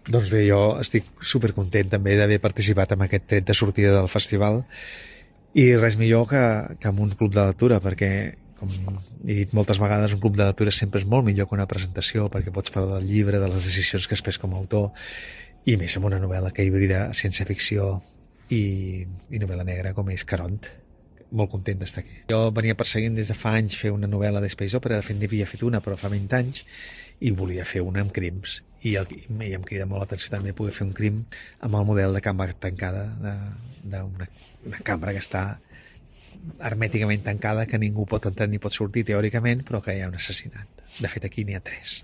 Doncs bé, jo estic supercontent també d'haver participat en aquest tret de sortida del festival i res millor que en un club de lectura, perquè, com he dit moltes vegades, un club de lectura sempre és molt millor que una presentació, perquè pots parlar del llibre, de les decisions que has pres com a autor, i més amb una novel·la que hibrida ciència-ficció i novel·la negra com és Caront. Molt content d'estar aquí. Jo venia perseguint des de fa anys fer una novel·la d'Space Opera, de fet n'havia fet una però fa 20 anys, i volia fer una amb crims, i em crida molt l'atenció també poder fer un crim amb el model de cambra tancada, d'una cambra que està hermèticament tancada, que ningú pot entrar ni pot sortir teòricament, però que hi ha un assassinat. De fet aquí n'hi ha 3.